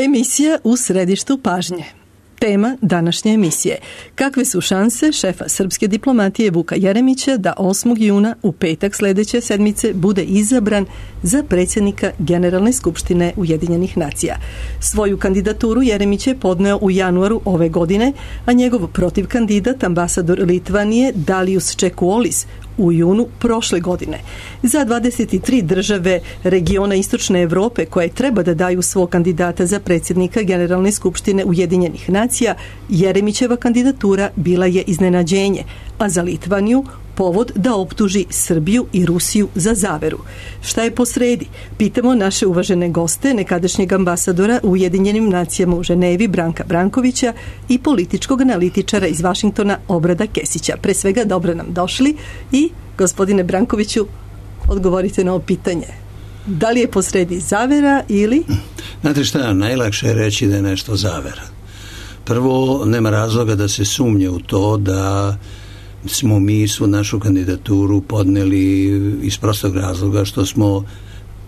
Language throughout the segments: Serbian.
Emisija u središtu pažnje. Tema današnje emisije. Kakve su šanse šefa srpske diplomatije Vuka Jeremića da 8. juna u petak sljedeće sedmice bude izabran za predsjednika Generalne skupštine Ujedinjenih nacija? Svoju kandidaturu Jeremić je podneo u januaru ove godine, a njegov protivkandidat, ambasador Litvanije Dalijus Čekuolis, u junu prošle godine. Za 23 države regiona Istočne Europe koje treba da daju svog kandidata za predsjednika Generalne skupštine Ujedinjenih nacija, Jeremićeva kandidatura bila je iznenađenje, a za Litvaniju povod da optuži Srbiju i Rusiju za zaveru. Šta je posredi? Pitamo naše uvažene goste, nekadašnjeg ambasadora u Ujedinjenim nacijama u Ženevi Branka Brankovića i političkog analitičara iz Vašingtona Obrada Kesića. Pre svega, dobro nam došli i, gospodine Brankoviću, odgovorite na ovo pitanje. Da li je posredi zavera ili... Znate šta, najlakše je reći da je nešto zavera. Prvo, nema razloga da se sumnje u to da smo mi svu našu kandidaturu podneli iz prostog razloga što smo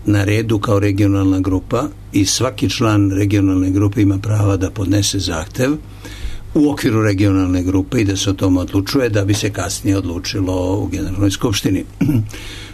na redu kao regionalna grupa i svaki član regionalne grupe ima prava da podnese zahtev u okviru regionalne grupe i da se o tom odlučuje da bi se kasnije odlučilo u Generalnoj skupštini.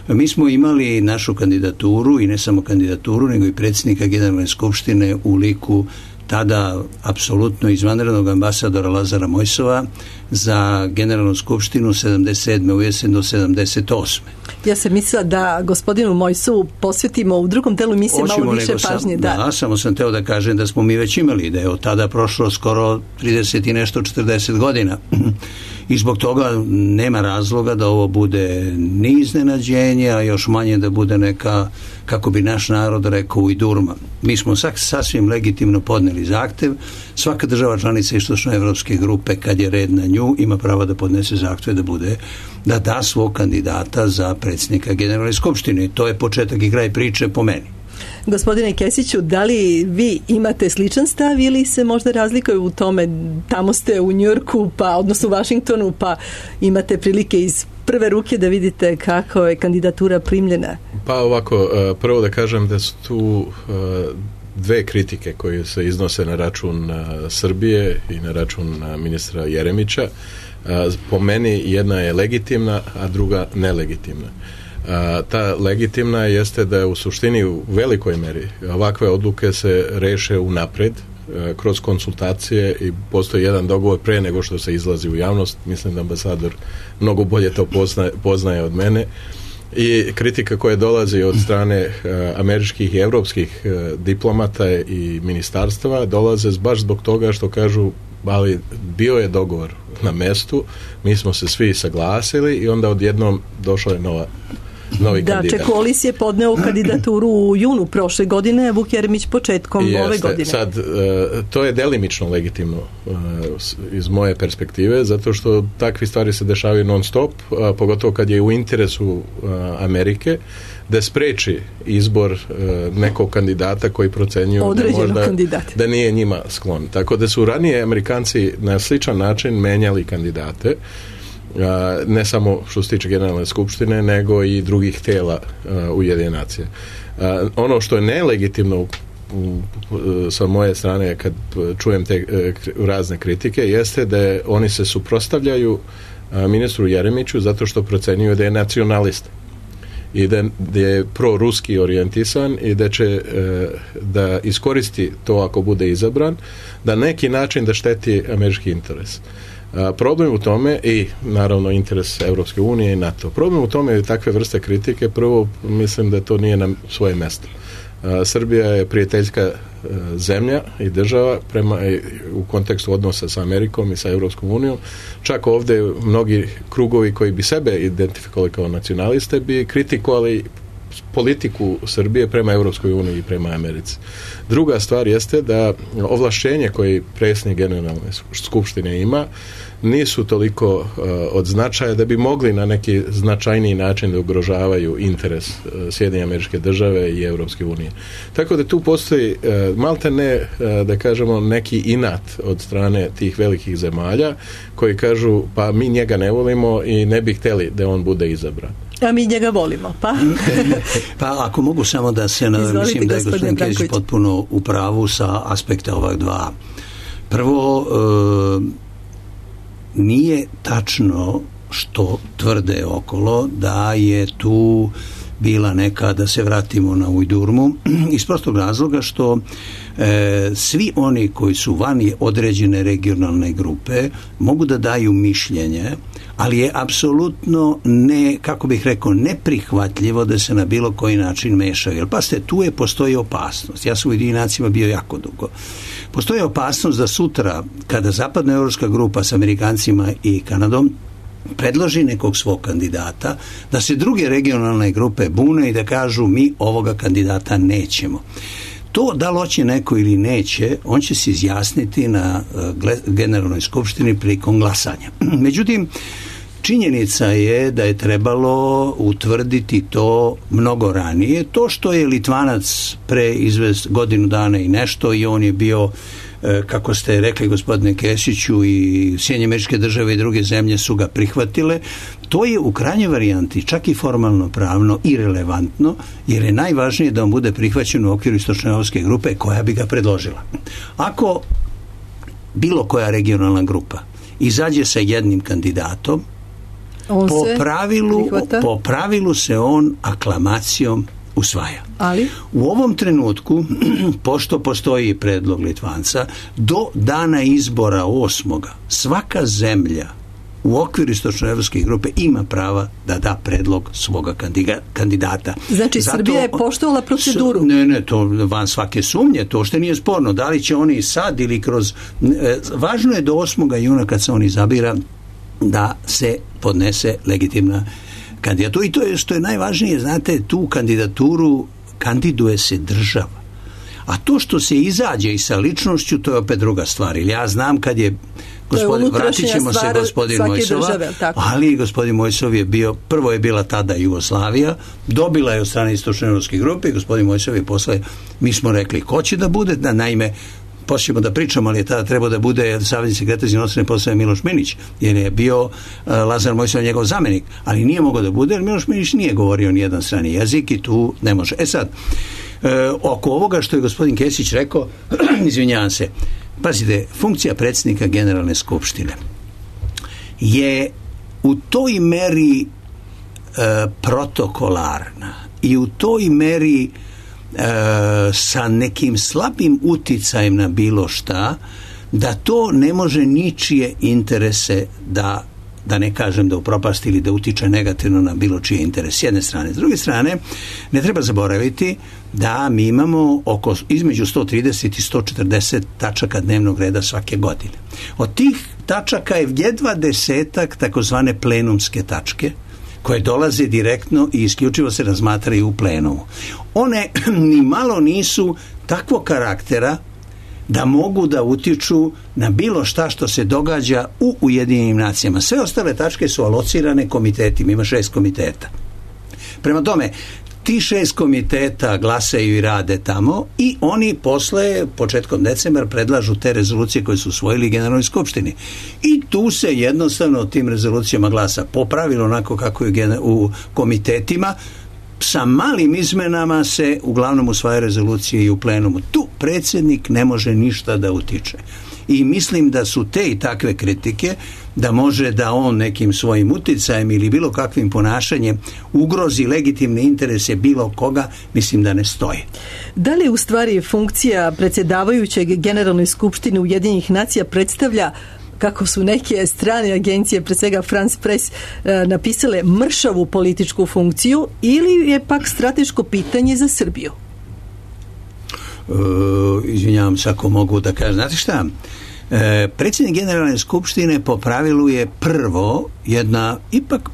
Mi smo imali našu kandidaturu i ne samo kandidaturu, nego i predsjednika Generalne skupštine u liku tada apsolutno izvanrednog ambasadora Lazara Mojsova za Generalnu skupštinu 77. u jesen do 78. Ja sam mislila da gospodinu Mojsovu posvetimo u drugom delu emisije malo više pažnje. Da, samo sam teo da kažem da smo mi već imali, da je od tada prošlo skoro 30 i nešto 40 godina. I zbog toga nema razloga da ovo bude ni iznenađenje, a još manje da bude neka, kako bi naš narod rekao, ujdurma. Mi smo sasvim legitimno podneli zahtev. Svaka država članica istočnoevropske grupe, kad je red na nju, ima pravo da podnese zahtev da da svog kandidata za predsjednika Generalne skupštine. To je početak i kraj priče po meni. Gospodine Kesiću, da li vi imate sličan stav ili se možda razlikuje u tome? Tamo ste u Njujorku, odnosno u Vašingtonu, pa imate prilike iz prve ruke da vidite kako je kandidatura primljena. Pa ovako, prvo da kažem da su tu dve kritike koje se iznose na račun Srbije i na račun ministra Jeremića. Po meni jedna je legitimna, a druga nelegitimna. Ta legitimna jeste da u suštini u velikoj meri ovakve odluke se reše unapred kroz konsultacije i postoji jedan dogovor pre nego što se izlazi u javnost. Mislim da ambasador mnogo bolje to poznaje od mene. I kritika koja dolazi od strane američkih i evropskih diplomata i ministarstva dolaze baš zbog toga što kažu, ali bio je dogovor na mestu, mi smo se svi saglasili i onda odjednom došla je novi kandidat. Čekuolis je podneo kandidaturu u junu prošle godine, Vuk Jeremić početkom ove godine. Sad, to je delimično legitimno iz moje perspektive, zato što takve stvari se dešavaju non stop, pogotovo kad je u interesu Amerike da spreči izbor nekog kandidata koji procenjuju da nije njima sklon. Tako da su ranije Amerikanci na sličan način menjali kandidate, ne samo što se tiče Generalne skupštine, nego i drugih tela Ujedinjenih nacija. Ono što je nelegitimno sa moje strane kad čujem te razne kritike jeste da oni se suprotstavljaju ministru Jeremiću zato što procenjuju da je nacionalista i da je proruski orijentisan i da će da iskoristi to ako bude izabran, da neki način da šteti američki interes. Problem u tome i naravno interes Europske unije i NATO. Problem u tome je takve vrste kritike. Prvo, mislim da to nije na svoje mjesto. Srbija je prijateljska zemlja i država u kontekstu odnosa sa Amerikom i sa Europskom unijom. Čak ovdje mnogi krugovi koji bi sebe identifikovali kao nacionaliste bi kritikovali politiku Srbije prema Europskoj uniji i prema Americi. Druga stvar jeste da ovlašćenje koje predsjednik Generalne skupštine ima nisu toliko od značaja da bi mogli na neki značajniji način da ugrožavaju interes Sjedinjenih Američke Države i Europske unije. Tako da tu postoji malte ne, da kažemo, neki inat od strane tih velikih zemalja koji kažu pa mi njega ne volimo i ne bi htjeli da on bude izabran. A mi njega volimo, pa? Pa ako mogu samo da se mislim da je gospodin Kesić potpuno u pravu sa aspekta ovak dva. Prvo, nije tačno što tvrde okolo da je tu bila neka, da se vratimo na Ujdurmu, iz prostog razloga što svi oni koji su van određene regionalne grupe mogu da daju mišljenje, ali je apsolutno neprihvatljivo da se na bilo koji način mešaju. Jer pazite, postoji opasnost. Ja sam u Ujedinjenim nacijama bio jako dugo. Postoji opasnost da sutra, kada zapadnoevropska grupa s Amerikancima i Kanadom predloži nekog svog kandidata, da se druge regionalne grupe bune i da kažu mi ovoga kandidata nećemo. To da li hoće neko ili neće, on će se izjasniti na generalnoj skupštini prilikom glasanja. Međutim, činjenica je da je trebalo utvrditi to mnogo ranije. To što je Litvanac godinu dana i nešto i on je bio, kako ste rekli gospodine Kesiću, i Sjedinjene Američke Države i druge zemlje su ga prihvatile, to je u krajnjoj varijanti čak i formalno pravno irelevantno, jer je najvažnije da on bude prihvaćen u okviru istočnoevropske grupe koja bi ga predložila. Ako bilo koja regionalna grupa izađe sa jednim kandidatom, po pravilu se on aklamacijom usvaja. Ali? U ovom trenutku, pošto postoji predlog Litvanca, do dana izbora 8. svaka zemlja u okviru istočnoevropske grupe ima prava da da predlog svoga kandidata. Znači, Srbija je poštovala proceduru? Ne, to van svake sumnje, to što nije sporno. Da li će oni sad ili kroz... Važno je do 8. juna kad se on izabira da se podnese legitimna kandidatura. I to je što je najvažnije, znate, tu kandidaturu kandiduje se država. A to što se izađe i sa ličnošću, to je opet druga stvar. Ili ja znam kad je vratit ćemo se gospodin Mojsova, ali gospodin Mojsov je bio, prvo je bila tada Jugoslavija, dobila je od strane istočnoevropske grupe i gospodin Mojsov je posle, mi smo rekli ko će da bude, da naime posljedno da pričamo, ali je tada trebao da bude savezni sekretar za inostrane poslove Miloš Minić, jer je bio Lazar Mojsov njegov zamenik, ali nije mogao da bude, jer Miloš Minić nije govorio nijedan strani jezik i tu ne može. Sad, oko ovoga što je gospodin Kesić rekao, izvinjavam se, pazite, funkcija predsjednika Generalne skupštine je u toj meri protokolarna i u toj meri sa nekim slabim uticajem na bilo šta, da to ne može ničije interese da ne kažem da upropasti ili da utiče negativno na bilo čije interese, s jedne strane. S druge strane, ne treba zaboraviti da mi imamo između 130 i 140 tačaka dnevnog reda svake godine. Od tih tačaka je jedva 10 takozvane plenumske tačke, koje dolaze direktno i isključivo se razmatraju u plenumu. One ni malo nisu takvog karaktera da mogu da utiču na bilo šta što se događa u Ujedinjenim nacijama. Sve ostale tačke su alocirane komitetima, ima 6 komiteta. Prema tome, ti 6 komiteta glasaju i rade tamo i oni posle, početkom decembra, predlažu te rezolucije koje su usvojili Generalnoj skupštini. I tu se jednostavno o tim rezolucijama glasa po pravilu onako kako je u komitetima. Sa malim izmenama se uglavnom usvaja rezolucije i u plenumu. Tu predsjednik ne može ništa da utiče. I mislim da su te i takve kritike da može da on nekim svojim uticajem ili bilo kakvim ponašanjem ugrozi legitimne interese bilo koga, mislim da ne stoji. Da li u stvari funkcija predsjedavajućeg Generalnoj skupštini Ujedinjenih nacija predstavlja, kako su neke strane agencije, pre svega France Press, napisale mršavu političku funkciju, ili je pak strateško pitanje za Srbiju? Izvinjavam se ako mogu da kažem. Znate šta? Predsjednik Generalne skupštine po pravilu je prvo ipak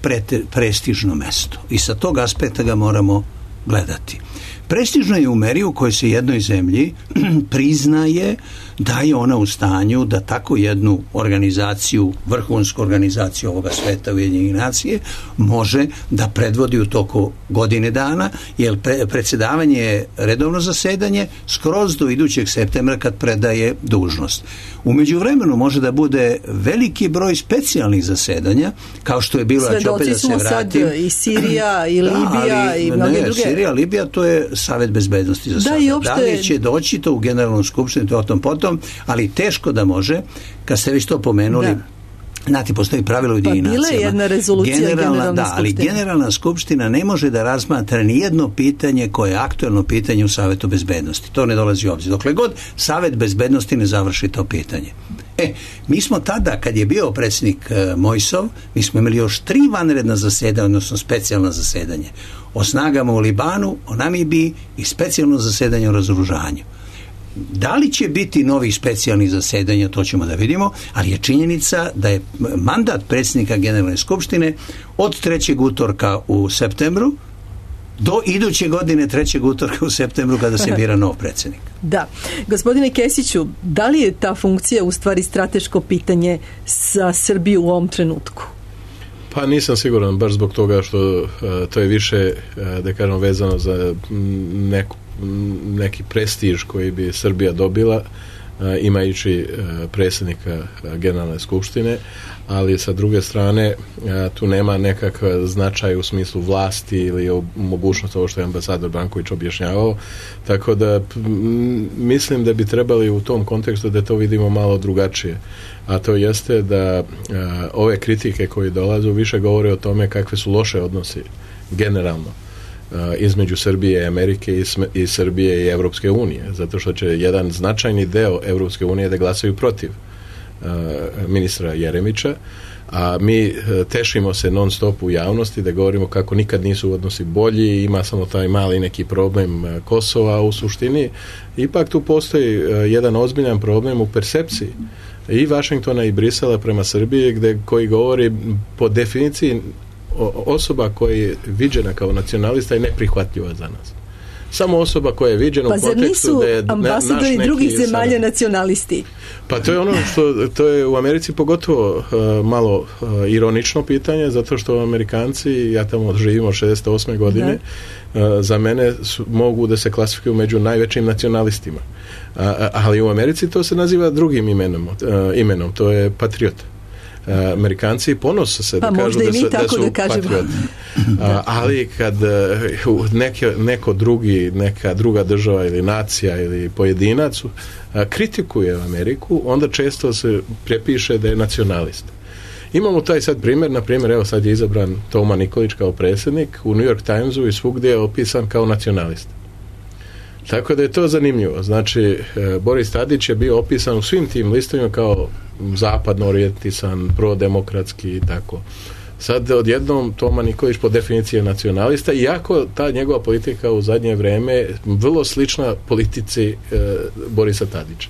prestižno mesto i sa tog aspekta ga moramo gledati. Prestižno je u meri u kojoj se jednoj zemlji priznaje da je ona u stanju da tako jednu organizaciju, vrhunsku organizaciju ovoga sveta Ujedinjenih nacija, može da predvodi u toku godine dana, jer predsjedavanje je redovno zasedanje skroz do idućeg septembra kad predaje dužnost. U međuvremenu može da bude veliki broj specijalnih zasedanja, kao što je bilo, ja ću opet da se vratim. Sad i Sirija i Libija i mnoge druge. Sirija, Libija, to je Savet bezbednosti za sada. Da li će doći to u Generalnu skupštinu, to o tom potom, ali teško da može, kad ste već to pomenuli, znate, postoji pravilo Ujedinjenih nacija. Bila je jedna rezolucija Generalne skupštine. Ali Generalna skupština ne može da razmatra ni jedno pitanje koje je aktuelno pitanje u Savetu bezbednosti. To ne dolazi u obzir. Dokle god Savet bezbednosti ne završi to pitanje. Mi smo tada, kad je bio predsjednik Mojsov, mi smo imali još 3 vanredna zasedanja, odnosno specijalna zasedanje. O snagama u Libanu, o Namibiji i specijalno zasedanje o razoružanju. Da li će biti novih specijalnih zasedanja, to ćemo da vidimo, ali je činjenica da je mandat predsjednika Generalne skupštine od 3. utorka u septembru do iduće godine 3. utorka u septembru kada se bira nov predsjednik. Da. Gospodine Kesiću, da li je ta funkcija u stvari strateško pitanje za Srbiju u ovom trenutku? Pa nisam siguran, baš zbog toga što to je više, da kažem, vezano za neki prestiž koji bi Srbija dobila imajući predsjednika Generalne skupštine, ali sa druge strane tu nema nekakav značaj u smislu vlasti ili mogućnost ovo što je ambasador Branković objašnjavao, tako da mislim da bi trebali u tom kontekstu da to vidimo malo drugačije, a to jeste da ove kritike koje dolaze više govore o tome kakve su loše odnosi generalno između Srbije i Amerike i Srbije i Evropske unije, zato što će jedan značajni deo Evropske unije da glasaju protiv ministra Jeremića, a mi tešimo se non stop u javnosti da govorimo kako nikad nisu odnosi bolji, ima samo taj mali neki problem Kosova, a u suštini ipak tu postoji jedan ozbiljan problem u percepciji i Vašingtona i Brisela prema Srbiji, koji govori po definiciji osoba koja je viđena kao nacionalista je neprihvatljiva za nas. Samo osoba koja je viđena u kontekstu da je naš neki... Pa zar nisu ambasadori drugih zemalja nacionalisti? Pa to je ono što, to je u Americi pogotovo malo ironično pitanje, zato što Amerikanci, ja tamo živim od 68. godine, za mene mogu da se klasifikuju među najvećim nacionalistima. Ali u Americi to se naziva drugim imenom, to je patriota. Amerikanci ponose se da kažu da su patrioti. Ali kad neka druga država ili nacija ili pojedinac kritikuje Ameriku, onda često se prepiše da je nacionalist. Imamo taj sad primjer, na primjer, evo sad je izabran Toma Nikolić kao predsjednik, u New York Timesu i svugdje je opisan kao nacionalist. Tako da je to zanimljivo. Znači, Boris Tadić je bio opisan u svim tim listovima kao zapadno orijentisan, prodemokratski i tako. Sad odjednom Toma Nikolić po definiciji je nacionalista, iako ta njegova politika u zadnje vrijeme vrlo slična politici Borisa Tadića.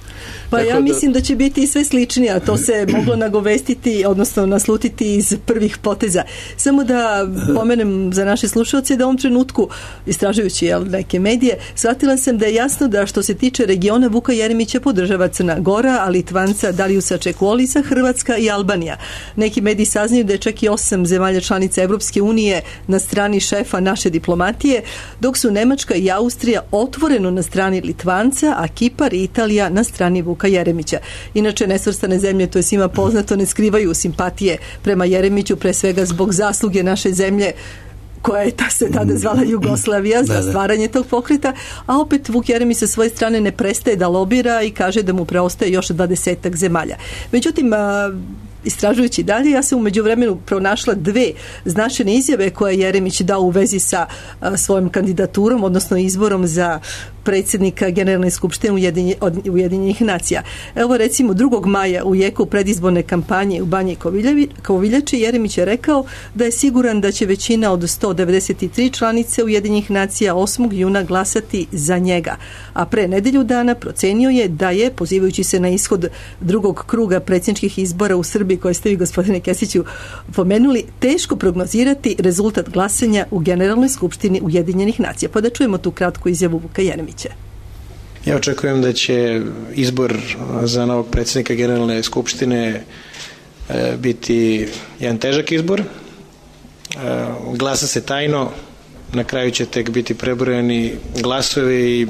Pa tako ja mislim da će biti sve sličnije, a to se moglo nagovestiti, odnosno naslutiti iz prvih poteza. Samo da pomenem za naše slušalce da u ovom trenutku, istražujući neke medije, shvatila sam da je jasno da što se tiče regiona Vuka Jeremića podržava Crna Gora, a Litvanca Dariusa Čekuolisa, Hrvatska i Albanija. Neki mediji saznaju da je čak i 8 zemalja članica Evropske unije na strani šefa naše diplomatije, dok su Nemačka i Austrija otvoreno na strani Litvanca, a Kipar i Italija na strani Vuka Jeremića. Inače, nesvrstane zemlje, to je svima poznato, ne skrivaju simpatije prema Jeremiću, pre svega zbog zasluge naše zemlje koja je se tada zvala Jugoslavija za stvaranje tog pokreta, a opet Vuk Jeremić sa svoje strane ne prestaje da lobira i kaže da mu preostaje još 20 zemalja. Međutim, istražujući dalje, ja sam u međuvremenu pronašla 2 značajne izjave koje Jeremić dao u vezi sa svojom kandidaturom, odnosno izborom za predsjednika Generalne skupštine Ujedinjenih nacija. Evo recimo 2. maja u jeku predizborne kampanje u Banji Koviljači Jeremić je rekao da je siguran da će većina od 193 članice Ujedinjenih nacija 8. juna glasati za njega. A pre nedelju dana procenio je da je, pozivajući se na ishod drugog kruga predsjedničkih izbora u Srbiji, koje ste vi, gospodine Kesiću, pomenuli, teško prognozirati rezultat glasanja u Generalnoj skupštini Ujedinjenih nacija. Pa da čujemo tu kratku izjavu Vuka Jeremića. Ja očekujem da će izbor za novog predsjednika Generalne skupštine biti jedan težak izbor. Glasa se tajno, na kraju će tek biti prebrojani glasovi i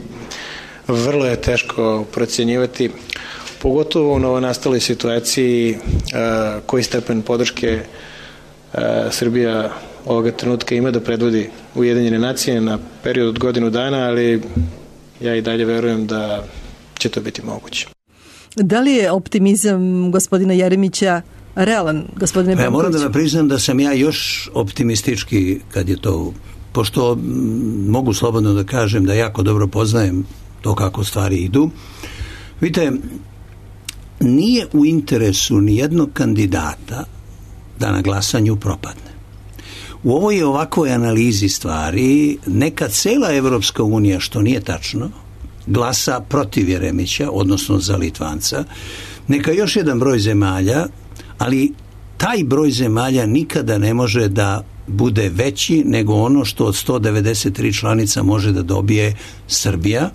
vrlo je teško procjenjivati, pogotovo u novonastaloj situaciji, koji stepen podrške Srbija ovoga trenutka ima da predvodi Ujedinjene nacije na period od godinu dana, ali ja i dalje verujem da će to biti moguće. Da li je optimizam gospodina Jeremića realan, gospodine Benković? Ja moram da vam priznam da sam ja još optimistički kad je to, pošto mogu slobodno da kažem da jako dobro poznajem to kako stvari idu. Vidite, nije u interesu ni jednog kandidata da na glasanju propadne. U ovoj ovakvoj analizi stvari neka cela Evropska unija, što nije tačno, glasa protiv Jeremića, odnosno za Litvanca, neka još jedan broj zemalja, ali taj broj zemalja nikada ne može da bude veći nego ono što od 193 članica može da dobije Srbija.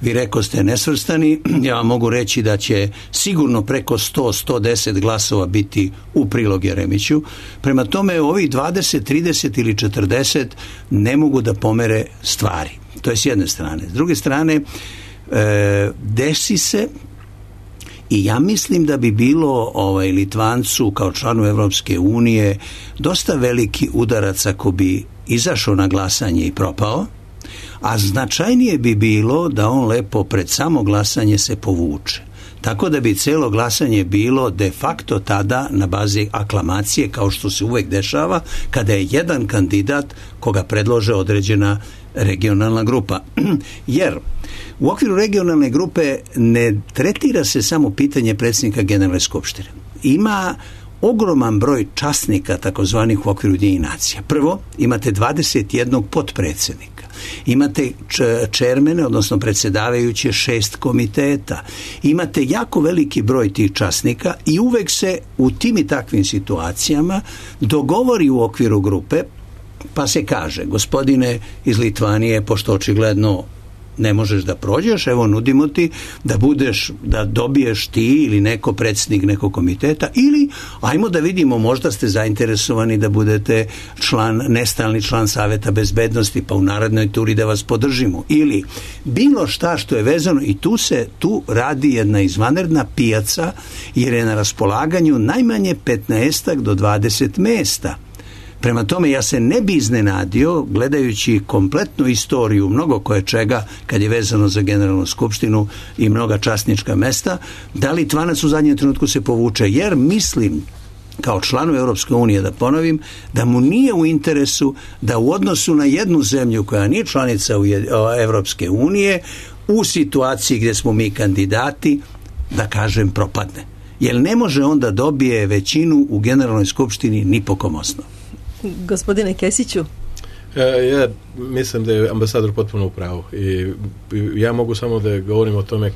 Vi rekoste nesvrstani, ja vam mogu reći da će sigurno preko 100-110 glasova biti u prilog Jeremiću. Prema tome ovih 20, 30 ili 40 ne mogu da pomere stvari. To je s jedne strane. S druge strane, desi se, i ja mislim da bi bilo Litvancu kao članu Evropske unije dosta veliki udarac ako bi izašao na glasanje i propao, a značajnije bi bilo da on lepo pred samo glasanje se povuče. Tako da bi celo glasanje bilo de facto tada na bazi aklamacije, kao što se uvek dešava kada je jedan kandidat koga predlože određena regionalna grupa. Jer u okviru regionalne grupe ne tretira se samo pitanje predsjednika Generalne skupštine. Ima ogroman broj časnika takozvanih u okviru Ujedinjenih nacija. Prvo, imate 21 potpredsjednika. Imate čermene, odnosno predsjedavajuće 6 komiteta. Imate jako veliki broj tih časnika i uvek se u tim i takvim situacijama dogovori u okviru grupe, pa se kaže, gospodine iz Litvanije, pošto očigledno ne možeš da prođeš, evo nudimo ti da dobiješ ti ili neko predsjednik nekog komiteta, ili ajmo da vidimo, možda ste zainteresovani da budete nestalni član Saveta bezbednosti, pa u narednoj turi da vas podržimo, ili bilo šta što je vezano, i tu radi jedna izvanredna pijaca, jer je na raspolaganju najmanje 15 do 20 mesta. Prema tome, ja se ne bi iznenadio, gledajući kompletnu istoriju mnogo koje čega kad je vezano za Generalnu skupštinu i mnoga časnička mesta, da Litvanac u zadnjem trenutku se povuče, jer mislim, kao članu Europske unije, da ponovim, da mu nije u interesu da u odnosu na jednu zemlju koja nije članica Europske unije, u situaciji gdje smo mi kandidati, da kažem, propadne. Jer ne može onda dobije većinu u Generalnoj skupštini ni po kom osnovu. Gospodine Kesiću? Ja mislim da je ambasador potpuno u pravu i ja mogu samo da govorim o tome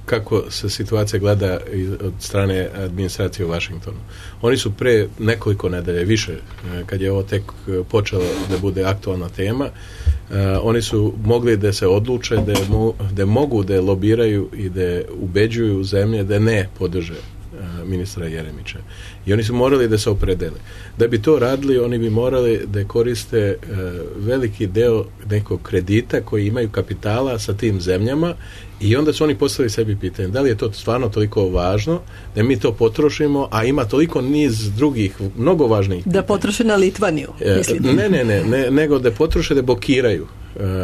kako se situacija gleda od strane administracije u Washingtonu. Oni su pre nekoliko nedelja, više, kad je ovo tek počelo da bude aktualna tema, oni su mogli da se odluče da mogu da lobiraju i da ubeđuju zemlje da ne podrže ministra Jeremića. I oni su morali da se opredele. Da bi to radili, oni bi morali da koriste veliki deo nekog kredita koji imaju kapitala sa tim zemljama, i onda su oni postavili sebi pitanje da li je to stvarno toliko važno da mi to potrošimo, a ima toliko niz drugih mnogo važnijih pitanja. Da potroše na Litvaniju, mislite? Ne, nego da potroše, da blokiraju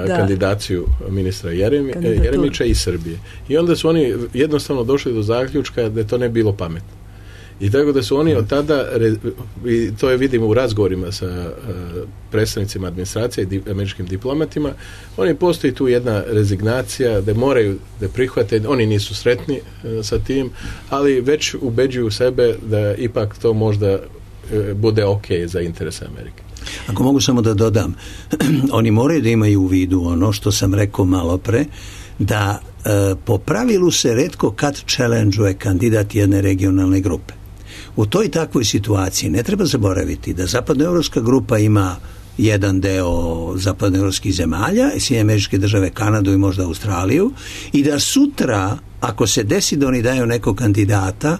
kandidaciju ministra Jeremića i Srbije. I onda su oni jednostavno došli do zaključka da to ne bilo pametno. I tako da su oni od tada, i to je vidimo u razgovorima sa predstavnicima administracije i američkim diplomatima, oni postoji tu jedna rezignacija da moraju da prihvate, oni nisu sretni sa tim, ali već ubeđuju sebe da ipak to možda bude ok za interese Amerike. Ako mogu samo da dodam, oni moraju da imaju u vidu ono što sam rekao malo pre, da po pravilu se retko kad challenge-uje kandidat jedne regionalne grupe. U toj takvoj situaciji ne treba zaboraviti da zapadnoevropska grupa ima jedan deo zapadnoevropskih zemalja, Sjedinjene Američke Države, Kanadu i možda Australiju, i da sutra, ako se desi da oni daju nekog kandidata,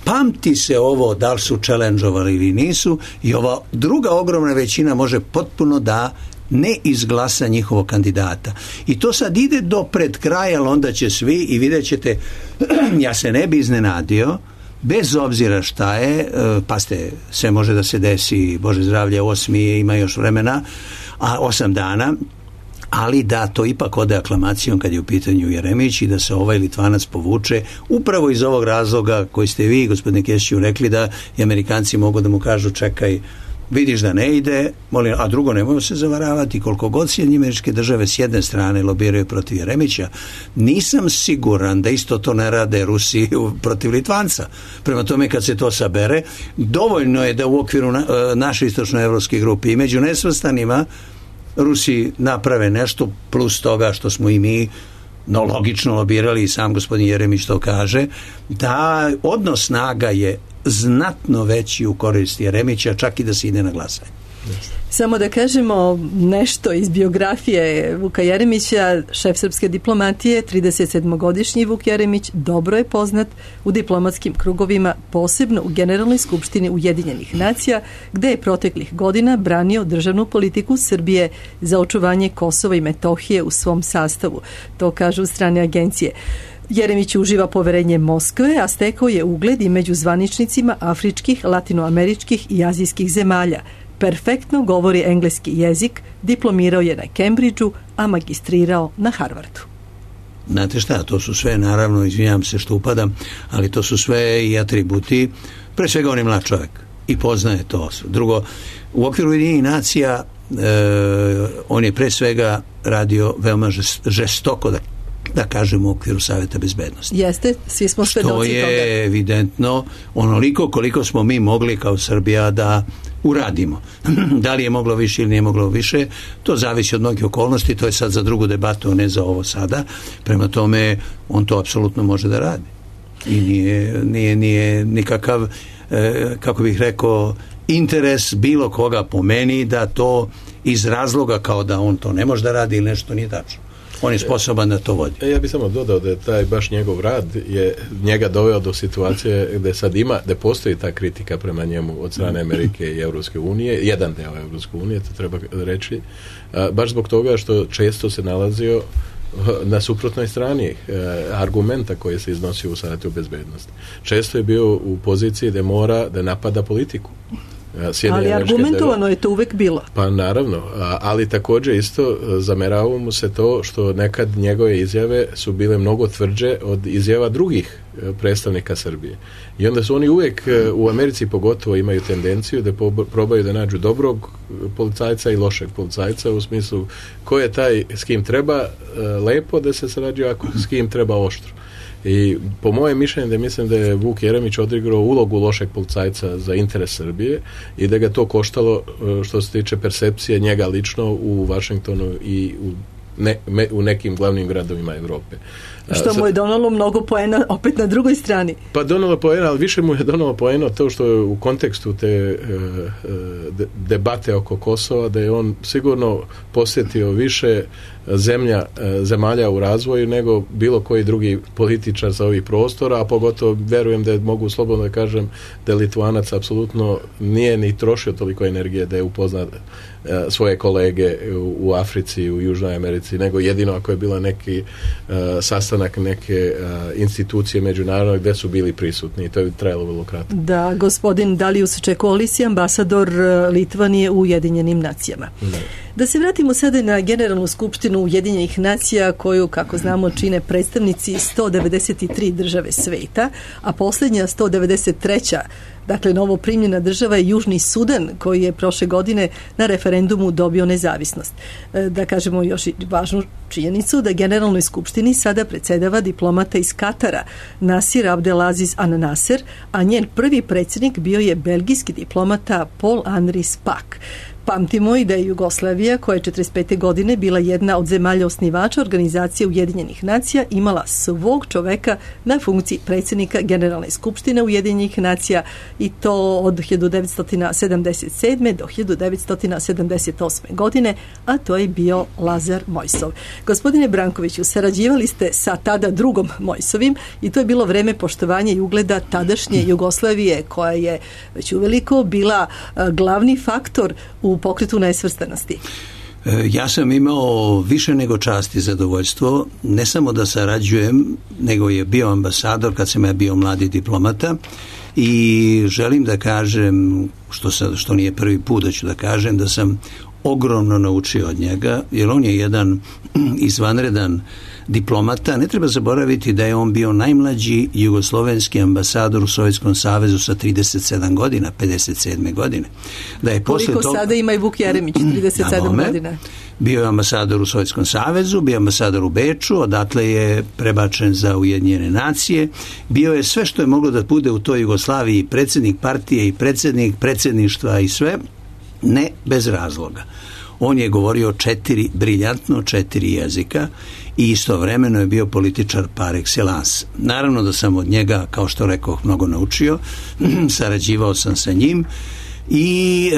pamti se ovo da li su challenge-ovali ili nisu, i ova druga ogromna većina može potpuno da ne izglasa njihovog kandidata. I to sad ide do pred kraja, ali onda će svi, i vidjet ćete, ja se ne bi iznenadio, bez obzira šta je, pazite, sve može da se desi, Bože zdravlje, 8. ima još vremena, a 8 dana, ali da to ipak ode aklamacijom kad je u pitanju Jeremić i da se ovaj Litvanac povuče upravo iz ovog razloga koji ste vi, gospodine Kesiću, rekli, da i Amerikanci mogu da mu kažu čekaj, vidiš da ne ide, molim, a drugo nemojmo se zavaravati, koliko god Sjedinjene Američke Države s jedne strane lobiraju protiv Jeremića, nisam siguran da isto to ne rade Rusi protiv Litvanca. Prema tome, kad se to sabere, dovoljno je da u okviru naše istočnoevropske grupe i među nesvrstanima Rusi naprave nešto plus toga što smo i mi logično lobirali, i sam gospodin Jeremić to kaže, da odnos snaga je znatno veći u korist Jeremića, čak i da se ide na glasanje. Samo da kažemo nešto iz biografije Vuka Jeremića. Šef srpske diplomatije, 37-godišnji Vuk Jeremić, dobro je poznat u diplomatskim krugovima, posebno u Generalnoj skupštini Ujedinjenih nacija, gde je proteklih godina branio državnu politiku Srbije za očuvanje Kosova i Metohije u svom sastavu. To kažu strane agencije. Jeremić uživa poverenje Moskve, a stekao je ugled i među zvaničnicima afričkih, latinoameričkih i azijskih zemalja. Perfektno govori engleski jezik, diplomirao je na Cambridgeu, a magistrirao na Harvardu. Znate šta, to su sve, naravno, izvinjam se što upadam, ali to su sve i atributi, pre svega on je mlad čovjek i poznaje to. Drugo, u okviru Ujedinjenih nacija on je pre svega radio veoma žestoko, da kažemo, u okviru Saveta bezbednosti. Jeste, svi smo svedoci toga. Što je evidentno onoliko koliko smo mi mogli kao Srbija da uradimo. Da li je moglo više ili nije moglo više, to zavisi od mnogih okolnosti, to je sad za drugu debatu, a ne za ovo sada. Prema tome, on to apsolutno može da radi. I nije nikakav, kako bih rekao, interes bilo koga po meni da to iz razloga kao da on to ne može da radi ili nešto nije tačno. On je sposoban da to vodi. Ja bih samo dodao da je taj baš njegov rad je njega doveo do situacije gde sad ima, da postoji ta kritika prema njemu od strane Amerike i Evropske unije, jedan deo Evropske unije, to treba reći, baš zbog toga što često se nalazio na suprotnoj strani argumenta koji se iznosio u Savetu bezbednosti. Često je bio u poziciji da mora da napada politiku. Ali argumentovano je to uvek bilo. Pa naravno, ali također isto zameravamo mu se to što nekad njegove izjave su bile mnogo tvrđe od izjava drugih predstavnika Srbije. I onda su oni uvijek u Americi pogotovo imaju tendenciju da probaju da nađu dobrog policajca i lošeg policajca, u smislu ko je taj s kim treba lepo da se sarađuje, ako s kim treba oštro. I po mojem mišljenju da mislim da je Vuk Jeremić odigrao ulogu lošeg policajca za interes Srbije i da ga to koštalo što se tiče percepcije njega lično u Vašingtonu i u nekim glavnim gradovima Evrope. Što mu je donalo mnogo poena opet na drugoj strani. Pa donalo poena, ali više mu je donalo poena to što je u kontekstu te debate oko Kosova, da je on sigurno posjetio više zemalja u razvoju nego bilo koji drugi političar sa ovih prostora, a pogotovo verujem da mogu slobodno da kažem da Litvanac apsolutno nije ni trošio toliko energije da je upoznat svoje kolege u Africi, u Južnoj Americi, nego jedino ako je bila neki sastanak neke institucije međunarodne gde su bili prisutni i to je trajalo vrlo kratko. Da, gospodin Dalius Čekolis je ambasador Litvanije u Ujedinjenim nacijama. Da se vratimo sada na Generalnu skupštinu Ujedinjenih nacija koju, kako znamo, čine predstavnici 193 države sveta, a posljednja 193. Dakle, novo primljena država je Južni Sudan, koji je prošle godine na referendumu dobio nezavisnost. Da kažemo još i važnu činjenicu da Generalnoj skupštini sada predsjedava diplomata iz Katara, Nasir Abdelaziz Al Nasser, a njen prvi predsjednik bio je belgijski diplomata Paul-Henri Spaak. Pamtimo i da je Jugoslavija, koja je 1945. godine bila jedna od zemalja osnivača Organizacije Ujedinjenih nacija, imala svog čoveka na funkciji predsjednika Generalne skupštine Ujedinjenih nacija, i to od 1977. do 1978. godine, a to je bio Lazar Mojsov. Gospodine Brankoviću, sarađivali ste sa tada drugom Mojsovim i to je bilo vreme poštovanja i ugleda tadašnje Jugoslavije, koja je već uveliko bila glavni faktor u pokretu nesvrstanosti. Ja sam imao više nego čast i zadovoljstvo, ne samo da sarađujem, nego je bio ambasador kad sam ja bio mladi diplomata, i želim da kažem, što nije prvi put da ću da kažem, da sam ogromno naučio od njega, jer on je jedan izvanredan diplomata. Ne treba zaboraviti da je on bio najmlađi jugoslovenski ambasador u Sovjetskom savezu sa 37 godina, 57. godine. Da je koliko toga, sada ima i Vuk Jeremić, 37 godina. Bio je ambasador u Sovjetskom savezu, bio je ambasador u Beču, odatle je prebačen za Ujedinjene nacije. Bio je sve što je moglo da bude u toj Jugoslaviji, predsjednik partije i predsjednik predsjedništva i sve, ne bez razloga. On je govorio briljantno 4 jezika i istovremeno je bio političar par excellence. Naravno da sam od njega, kao što rekoh, mnogo naučio, sarađivao sam sa njim i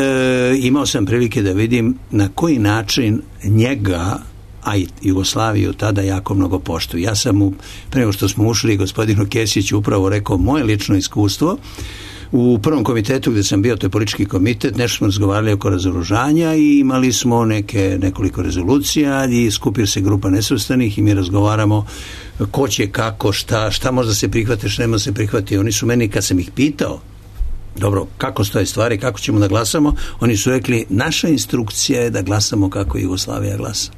imao sam prilike da vidim na koji način njega, a i Jugoslaviju tada jako mnogo poštuju. Ja sam mu, pre nego što smo ušli, gospodinu Kesiću upravo rekao moje lično iskustvo. U prvom komitetu gdje sam bio, to je politički komitet, nešto smo razgovarali oko razoružanja i imali smo nekoliko rezolucija i skupio se grupa nesvrstanih i mi razgovaramo ko će, kako, šta možda se prihvati, šta ne može se prihvati. Oni su meni, kad sam ih pitao, dobro, kako stoje stvari, kako ćemo da glasamo, oni su rekli, naša instrukcija je da glasamo kako Jugoslavija glasa.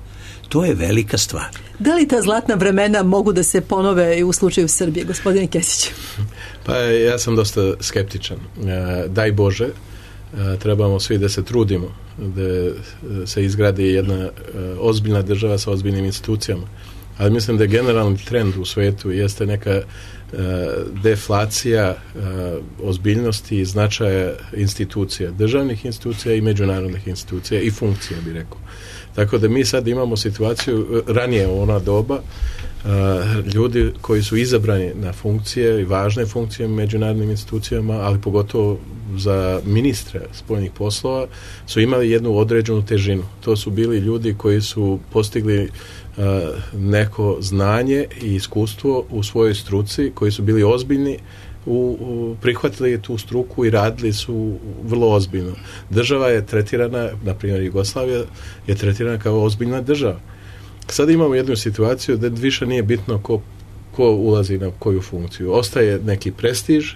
To je velika stvar. Da li ta zlatna vremena mogu da se ponove i u slučaju Srbije, gospodine Kesić? Pa ja sam dosta skeptičan. Daj Bože, trebamo svi da se trudimo da se izgradi jedna ozbiljna država sa ozbiljnim institucijama. Ali mislim da je generalni trend u svetu jeste neka deflacija ozbiljnosti i značaja institucija, državnih institucija i međunarodnih institucija i funkcija, bi rekao. Tako da mi sad imamo situaciju, ranije u ona doba, ljudi koji su izabrani na funkcije i važne funkcije u međunarodnim institucijama, ali pogotovo za ministre spoljnih poslova, su imali jednu određenu težinu. To su bili ljudi koji su postigli neko znanje i iskustvo u svojoj struci, koji su bili ozbiljni, prihvatili tu struku i radili su vrlo ozbiljno. Država je tretirana, na primjer Jugoslavija je tretirana kao ozbiljna država. Sad imamo jednu situaciju da više nije bitno ko ulazi na koju funkciju. Ostaje neki prestiž,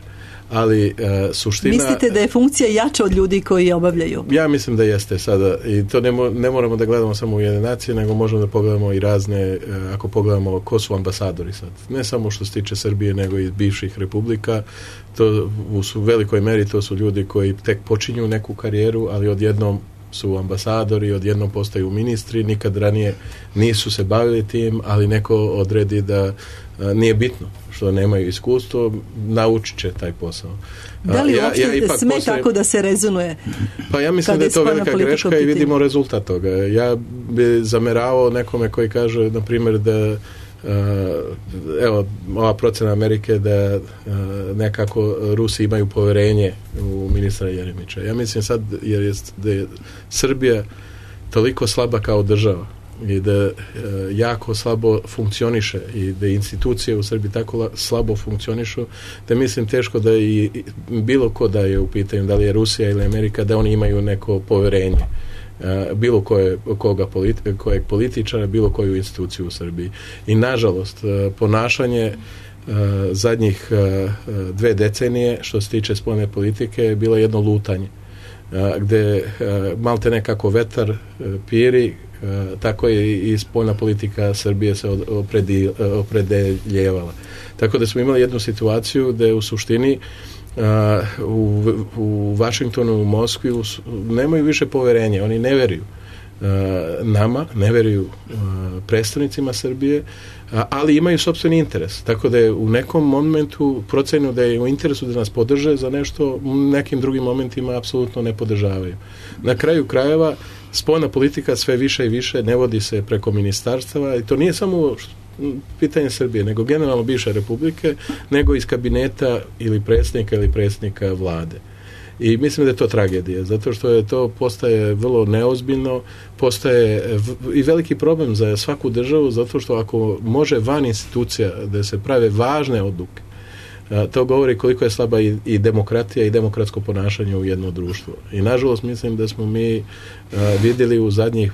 ali suština... Mislite da je funkcija jača od ljudi koji je obavljaju? Ja mislim da jeste sada. I to ne moramo da gledamo samo u jedne nacije, nego možemo da pogledamo i razne, ako pogledamo ko su ambasadori sad. Ne samo što se tiče Srbije, nego i bivših republika. To u velikoj meri to su ljudi koji tek počinju neku karijeru, ali odjednom su ambasadori, odjednom postaju ministri, nikad ranije nisu se bavili tim, ali neko odredi da nije bitno što nemaju iskustvo, naučit će taj posao. Da li uopšte sme tako da se rezonuje? Pa ja mislim da je to velika greška i vidimo rezultat toga. Ja bi zameravao nekome koji kaže, na primjer, da evo, ova procena Amerike da nekako Rusi imaju poverenje u ministra Jeremića. Ja mislim sad da je Srbija toliko slaba kao država i da jako slabo funkcioniše i da institucije u Srbiji tako slabo funkcionišu, da mislim teško da i bilo ko da je u pitanju, da li je Rusija ili Amerika, da oni imaju neko poverenje bilo kojeg političara, bilo koju instituciju u Srbiji. I nažalost, ponašanje zadnjih 2 decenije što se tiče spoljne politike je bilo jedno lutanje. gde malte nekako vetar piri, tako je i spoljna politika Srbije se opredeljevala. Tako da smo imali jednu situaciju gde u suštini u Vašingtonu, u Moskvi nemaju više poverenja, oni ne veruju nama, ne veruju predstavnicima Srbije, ali imaju sopstveni interes. Tako da je u nekom momentu procenio da je u interesu da nas podrže za nešto, u nekim drugim momentima apsolutno ne podržavaju. Na kraju krajeva spoljna politika sve više i više ne vodi se preko ministarstava i to nije samo pitanje Srbije, nego generalno bivše republike, nego iz kabineta ili predsjednika vlade. I mislim da je to tragedija, zato što je to postaje vrlo neozbiljno, postaje i veliki problem za svaku državu, zato što ako može van institucija da se prave važne odluke, to govori koliko je slaba i demokratija i demokratsko ponašanje u jedno društvo. I nažalost mislim da smo mi vidjeli u zadnjih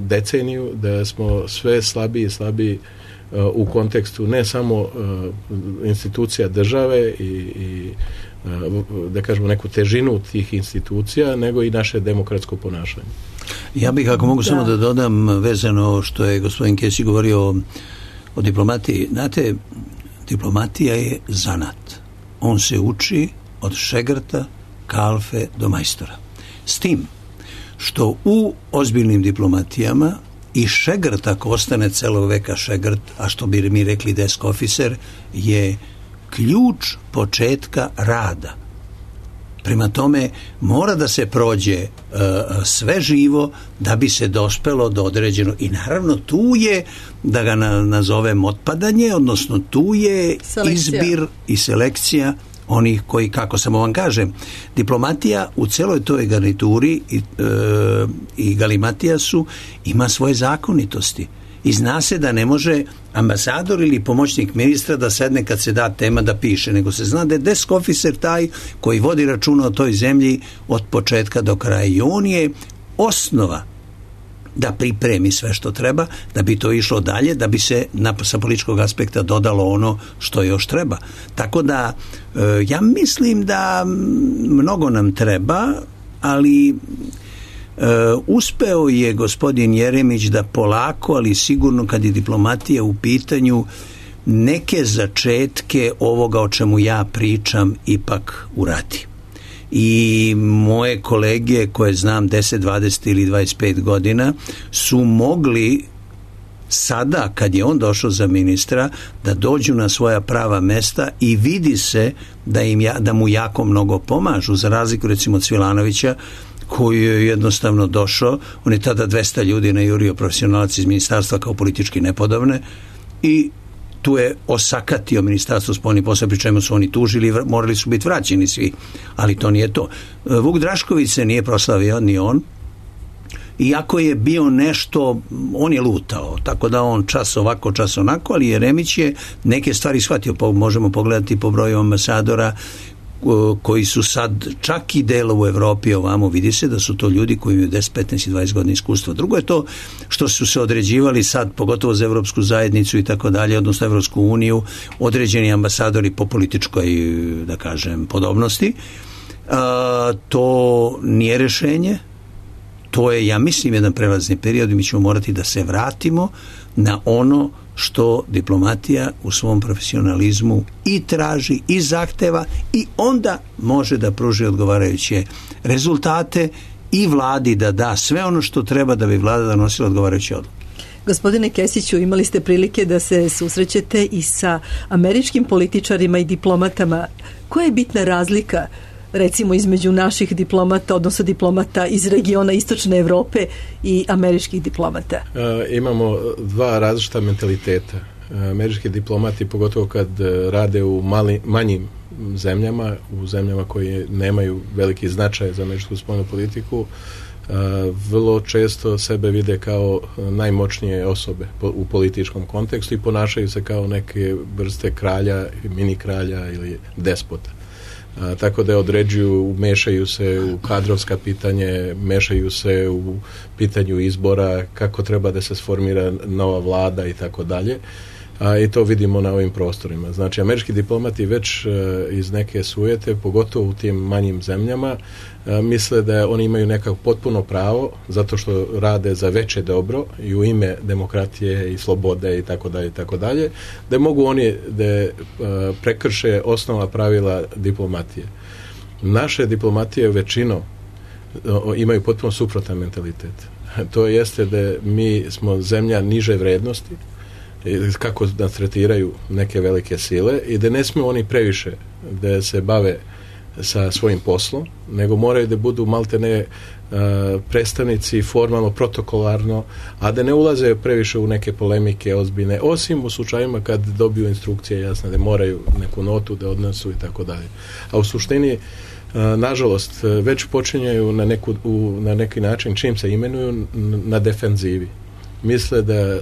deceniju da smo sve slabiji i slabiji u kontekstu ne samo institucija države i da kažemo neku težinu tih institucija, nego i naše demokratsko ponašanje. Ja bih, ako mogu samo da dodam vezano što je gospodin Kesić govorio o diplomatiji. Znate, diplomatija je zanat. On se uči od šegrta, kalfe do majstora. S tim što u ozbiljnim diplomatijama i šegrt, ako ostane celog veka šegrt, a što bi mi rekli desk officer, je ključ početka rada. Prema tome, mora da se prođe sve živo da bi se dospelo do određeno. I naravno tu je, da ga nazovem otpadanje, odnosno tu je izbir i selekcija onih koji, kako samo vam kažem, diplomatija u celoj toj garnituri i galimatijasu ima svoje zakonitosti. I zna se da ne može ambasador ili pomoćnik ministra da sedne kad se da tema da piše, nego se zna da je desk officer taj koji vodi računa o toj zemlji od početka do kraja i on je osnova da pripremi sve što treba, da bi to išlo dalje, da bi se sa političkog aspekta dodalo ono što još treba. Tako da ja mislim da mnogo nam treba, ali uspeo je gospodin Jeremić da polako, ali sigurno kad je diplomatija u pitanju, neke začetke ovoga o čemu ja pričam ipak uradi. I moje kolege koje znam 10, 20 ili 25 godina su mogli sada kad je on došao za ministra da dođu na svoja prava mesta i vidi se da mu jako mnogo pomažu, za razliku recimo od Cvilanovića koji je jednostavno došao, on je tada 200 ljudi najurio, profesionalac iz ministarstva kao politički nepodobne i tu je osakatio ministarstvo spoljnih poslova, pri čemu su oni tužili, morali su biti vraćeni svi, ali to nije to. Vuk Drašković se nije proslavio, ni on, iako je bio nešto, on je lutao, tako da on čas ovako, čas onako, ali Jeremić je neke stvari shvatio, možemo pogledati po broju ambasadora koji su sad čak i delo u Evropi ovamo, vidi se da su to ljudi koji imaju 10, 15 i 20 godina iskustva. Drugo je to što su se određivali sad, pogotovo za Evropsku zajednicu i tako dalje, odnosno Evropsku uniju, određeni ambasadori po političkoj, da kažem, podobnosti. To nije rešenje, to je, ja mislim, jedan prelazni period i mi ćemo morati da se vratimo na ono što diplomatija u svom profesionalizmu i traži i zahteva i onda može da pruži odgovarajuće rezultate i vladi da da sve ono što treba da bi vlada donosila odgovarajuće odluke. Gospodine Kesiću, imali ste prilike da se susrećete i sa američkim političarima i diplomatama. Koja je bitna razlika recimo između naših diplomata, odnosno diplomata iz regiona Istočne Evrope i američkih diplomata? Imamo dva različita mentaliteta. Američki diplomati, pogotovo kad rade u manjim zemljama, u zemljama koje nemaju veliki značaj za američku spoljnu politiku, vrlo često sebe vide kao najmoćnije osobe u političkom kontekstu i ponašaju se kao neke vrste kralja, mini kralja ili despota. Tako da određuju, mešaju se u kadrovska pitanje, mešaju se u pitanju izbora, kako treba da se sformira nova vlada i tako dalje. i to vidimo na ovim prostorima. Znači, američki diplomati već iz neke sujete, pogotovo u tim manjim zemljama, misle da oni imaju nekako potpuno pravo, zato što rade za veće dobro i u ime demokratije i slobode i tako dalje, da mogu oni da prekrše osnova pravila diplomatije. Naše diplomatije većinom imaju potpuno suprotan mentalitet. To jeste da mi smo zemlja niže vrednosti, kako nas tretiraju neke velike sile i da ne smiju oni previše da se bave sa svojim poslom, nego moraju da budu maltene predstavnici formalno, protokolarno, a da ne ulaze previše u neke polemike ozbiljne, osim u slučajima kad dobiju instrukcije jasne da moraju neku notu da odnesu i tako dalje. A u suštini, nažalost, već počinjaju na neki način, čim se imenuju, na defenzivi. Misle da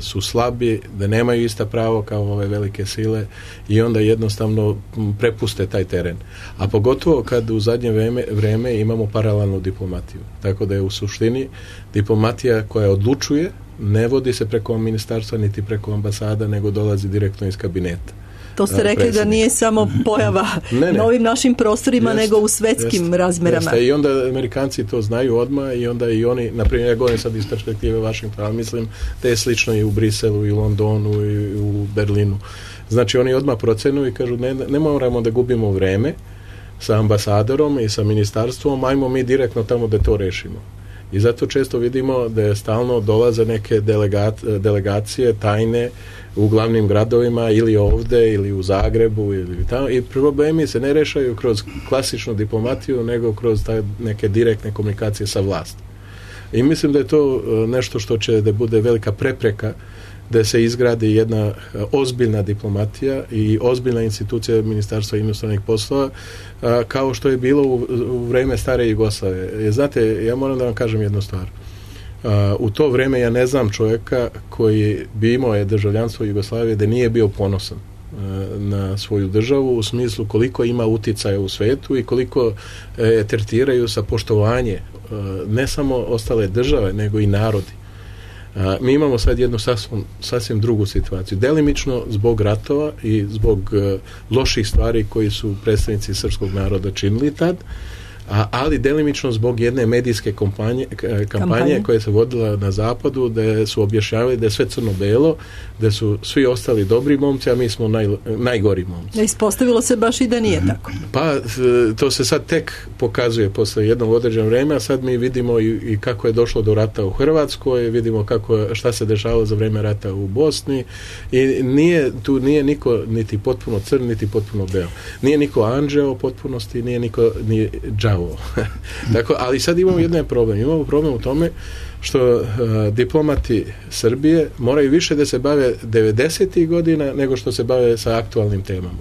su slabi, da nemaju ista pravo kao ove velike sile i onda jednostavno prepuste taj teren. A pogotovo kad u zadnje vreme imamo paralelnu diplomatiju. Tako da je u suštini diplomatija koja odlučuje ne vodi se preko ministarstva niti preko ambasada, nego dolazi direktno iz kabineta. To ste rekli da nije samo pojava na ovim našim prostorima, nego u svetskim razmerama. I onda Amerikanci to znaju odmah i onda i oni, na primjer, ja govorim sad iz perspektive Washingtona, ali mislim da je slično i u Briselu, i u Londonu, i u Berlinu. Znači oni odmah procenu i kažu ne moramo da gubimo vreme sa ambasadorom i sa ministarstvom, ajmo mi direktno tamo da to rešimo. I zato često vidimo da stalno dolaze neke delegacije tajne u glavnim gradovima ili ovde ili u Zagrebu ili tamo, i problemi se ne rešaju kroz klasičnu diplomatiju, nego kroz neke direktne komunikacije sa vlasti. I mislim da je to nešto što će da bude velika prepreka da se izgradi jedna ozbiljna diplomatija i ozbiljna institucija Ministarstva inostranih poslova, kao što je bilo u vreme stare Jugoslavije. Znate, ja moram da vam kažem jednu stvar. U to vreme ja ne znam čovjeka koji bi imao državljanstvo Jugoslavije da nije bio ponosan na svoju državu, u smislu koliko ima uticaja u svetu i koliko tretiraju sa poštovanje ne samo ostale države, nego i narodi. Mi imamo sad jednu sasvim drugu situaciju. Delimično zbog ratova i zbog loših stvari koji su predstavnici srpskog naroda činili tad, ali delimično zbog jedne medijske kampanje koja se vodila na zapadu, da su objašnjavali da je sve crno-belo, da su svi ostali dobri momci, a mi smo najgori momci. Ispostavilo se baš i da nije tako. Pa to se sad tek pokazuje posle jednog određenog vremena, a sad mi vidimo i kako je došlo do rata u Hrvatskoj, vidimo šta se dešavalo za vreme rata u Bosni i tu nije niko niti potpuno crn, niti potpuno beo. Nije niko anđeo u potpunosti, nije niko ni džavo. Tako, ali sad imamo jedan problem. Imamo problem u tome što diplomati Srbije moraju više da se bave 90. godina nego što se bave sa aktualnim temama.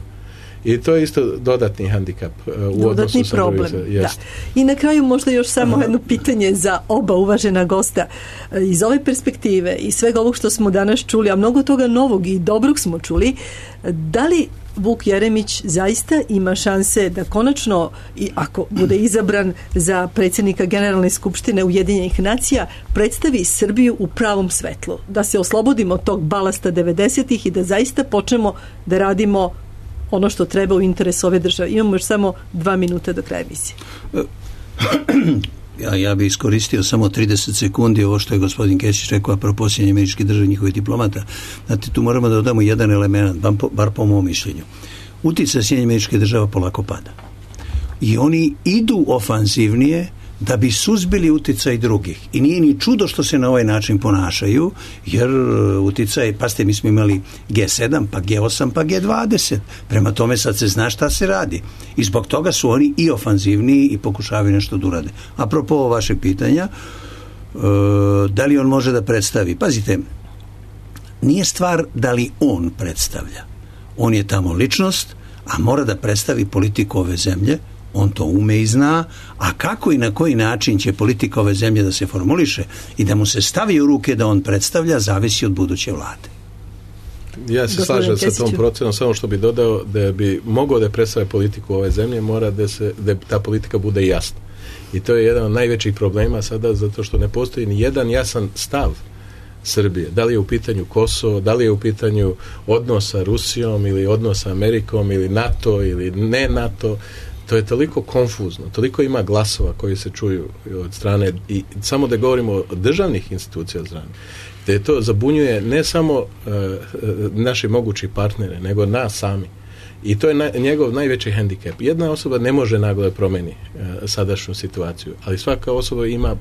I to je isto dodatni handikap u odnosu sa problem. Da. I na kraju možda još samo jedno pitanje za oba uvažena gosta. Iz ove perspektive i svega ovog što smo danas čuli, a mnogo toga novog i dobrog smo čuli, da li Vuk Jeremić zaista ima šanse da konačno, i ako bude izabran za predsjednika Generalne skupštine Ujedinjenih nacija, predstavi Srbiju u pravom svetlu? Da se oslobodimo tog balasta 90-ih i da zaista počnemo da radimo ono što treba u interesu ove države. Imamo još samo 2 minuta do kraja emisije. Ja bih iskoristio samo 30 sekundi ovo što je gospodin Kesić rekao apropo Sjedinjenih Američkih Država i njihovih diplomata. Znate, tu moramo da dodamo jedan element, bar po mom mišljenju. Uticaj Sjedinjenih Američkih Država polako pada. I oni idu ofanzivnije da bi suzbili uticaj drugih. I nije ni čudo što se na ovaj način ponašaju, jer uticaj, pazite, mi smo imali G7, pa G8, pa G20. Prema tome sad se zna šta se radi. I zbog toga su oni i ofanzivniji i pokušavaju nešto da urade. Apropo vašeg pitanja, da li on može da predstavi? Pazite, nije stvar da li on predstavlja. On je tamo ličnost, a mora da predstavi politiku ove zemlje. On to ume i zna, a kako i na koji način će politika ove zemlje da se formuliše i da mu se stavi u ruke da on predstavlja, zavisi od buduće vlade. Ja se slažem sa tom procenom, samo što bi dodao da bi mogao da predstavi politiku ove zemlje, mora da ta politika bude jasna. I to je jedan od najvećih problema sada, zato što ne postoji ni jedan jasan stav Srbije. Da li je u pitanju Kosovo, da li je u pitanju odnos sa Rusijom ili odnos sa Amerikom ili NATO ili ne NATO, to je toliko konfuzno, toliko ima glasova koji se čuju od strane, i samo da govorimo o državnih institucija od strane, da to zabunjuje ne samo naši mogući partnere, nego nas sami. I to je njegov najveći hendikep. Jedna osoba ne može naglo da promeni sadašnju situaciju, ali svaka osoba ima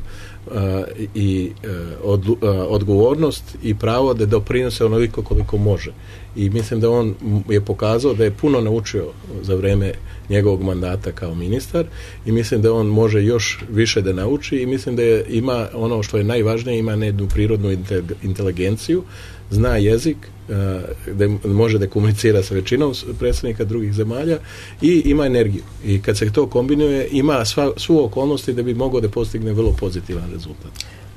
odgovornost i pravo da doprinose onoliko koliko može. I mislim da on je pokazao da je puno naučio za vreme njegovog mandata kao ministar i mislim da on može još više da nauči i mislim da ima ono što je najvažnije, ima jednu prirodnu inteligenciju, zna jezik, da može da komunicira sa većinom predstavnika drugih zemalja i ima energiju. I kad se to kombinuje, ima svu okolnosti da bi mogao da postigne vrlo pozitivan rezultat.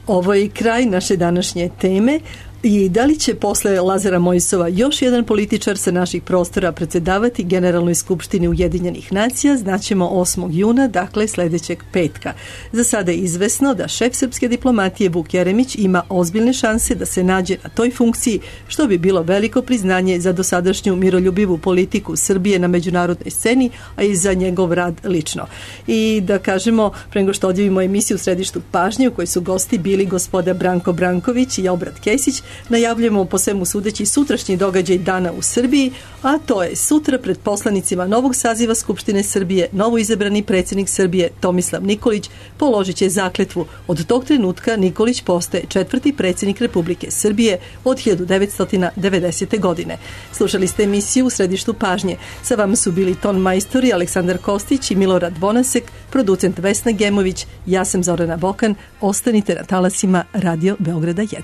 Ovo je kraj naše današnje teme. I da li će posle Lazara Mojsova još jedan političar sa naših prostora predsjedavati Generalnoj skupštini Ujedinjenih nacija, znaćemo 8. juna, dakle sljedećeg petka. Za sada je izvesno da šef srpske diplomatije Vuk Jeremić ima ozbiljne šanse da se nađe na toj funkciji, što bi bilo veliko priznanje za dosadašnju miroljubivu politiku Srbije na međunarodnoj sceni, a i za njegov rad lično. I da kažemo, pre nego što odjavimo emisiju u središtu pažnje, u kojoj su gosti bili gospoda Branko Branković i Obrat Kesić, najavljujemo po svemu sudeći sutrašnji događaj dana u Srbiji, a to je sutra pred poslanicima novog saziva Skupštine Srbije novo izabrani predsjednik Srbije Tomislav Nikolić položit će zakletvu. Od tog trenutka Nikolić postaje 4. predsjednik Republike Srbije od 1990. godine. Slušali ste emisiju u središtu pažnje. Sa vama su bili ton majstori Aleksandar Kostić i Milorad Bonasek, producent Vesna Gemović, ja sam Zorana Bokan. Ostanite na talasima Radio Beograda 1.